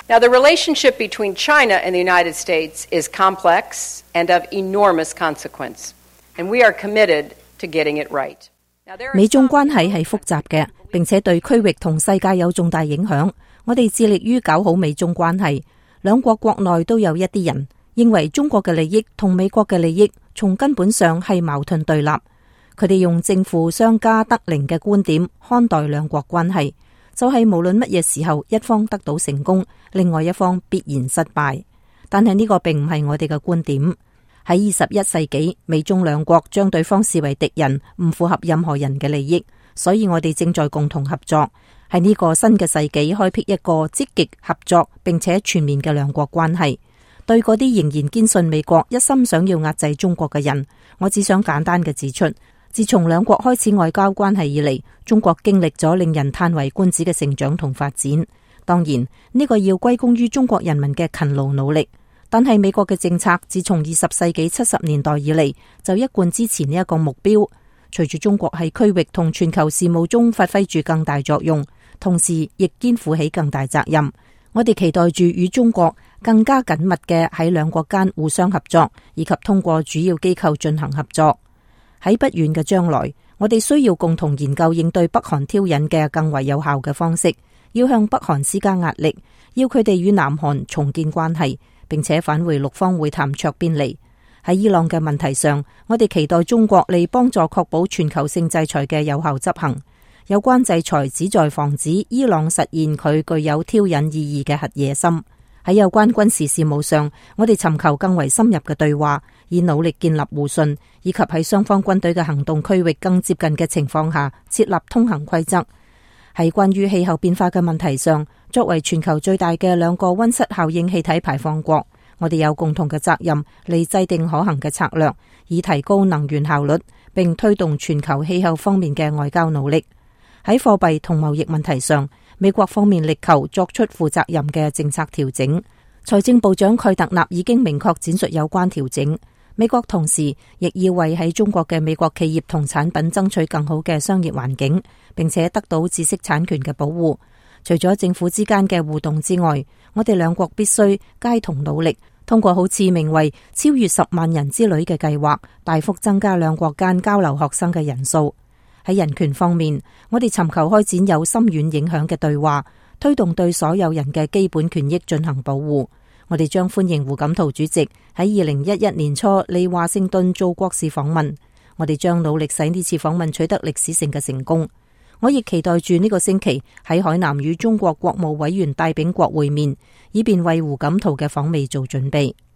Now, the relationship between China and the United States is complex and of enormous consequence, and we are committed to getting it right. 美中關係係複雜嘅，並且對區域同世界有重大影響。我哋致力於搞好美中關係。兩國國內都有一啲人認為中國嘅利益同美國嘅利益從根本上係矛盾對立。佢哋用正負相加得零嘅觀點看待兩國關係，就係無論乜嘢時候一方得到成功，另外一方必然失敗。但係呢個並唔係我哋嘅觀點。喺21世紀，美中兩國將對方視為敵人，唔符合任何人嘅利益，所以我哋正在共同合作，喺呢個新嘅世紀開闢一個積極合作並且全面嘅兩國關係。對嗰啲仍然堅信美國一心想要壓制中國嘅人，我只想簡單嘅指出，自從兩國開始外交關係以嚟，中國經歷咗令人嘆為觀止嘅成長同發展。當然，呢個要歸功於中國人民嘅勤勞努力。但係美國嘅政策自從20世紀70年代以嚟，就一貫支持呢一個目標。隨住中國喺區域同全球事務中發揮住更大作用，同時亦肩負起更大責任。我哋期待住與中國更加緊密嘅喺兩國間互相合作，以及通過主要機構進行合作。喺不遠嘅將來，我哋需要共同研究應對北韓挑釁嘅更為有效嘅方式，要向北韓施加壓力，要佢哋與南韓重建關係，並且返回六方會談桌邊嚟。喺伊朗嘅問題上，我哋期待中國嚟幫助確保全球性制裁嘅有效執行。有關制裁旨在防止伊朗實現佢具有挑釁意義嘅核野心。喺有關軍事事務上，我哋尋求更為深入嘅對話，以努力建立互信，以及喺雙方軍隊嘅行動區域更接近嘅情況下設立通行規則。喺關於氣候變化嘅問題上，作為全球最大嘅兩個溫室效應氣體排放國，我哋有共同嘅責任嚟制定可行嘅策略，以提高能源效率，並推動全球氣候方面嘅外交努力。喺貨幣同貿易問題上，美國方面力求作出負責任嘅政策調整。財政部長蓋特納已經明確闡述有關調整。美國同時亦要為喺中國嘅美國企業同產品爭取更好嘅商業環境，並且得到知識產權嘅保護。除咗政府之間嘅互動之外，我哋兩國必須偕同努力，通過好似名為超越10萬人之旅嘅計劃，大幅增加兩國間交流學生嘅人數。喺人權方面，我哋尋求開展有深遠影響嘅對話，推動對所有人嘅基本權益進行保護。我哋將歡迎胡錦濤主席喺2011年初嚟華盛頓做國事訪問。我哋將努力使呢次訪問取得歷史性嘅成功。我亦期待住呢個星期喺海南與中國國務委員戴秉國會面，以便為胡錦濤嘅訪美做準備。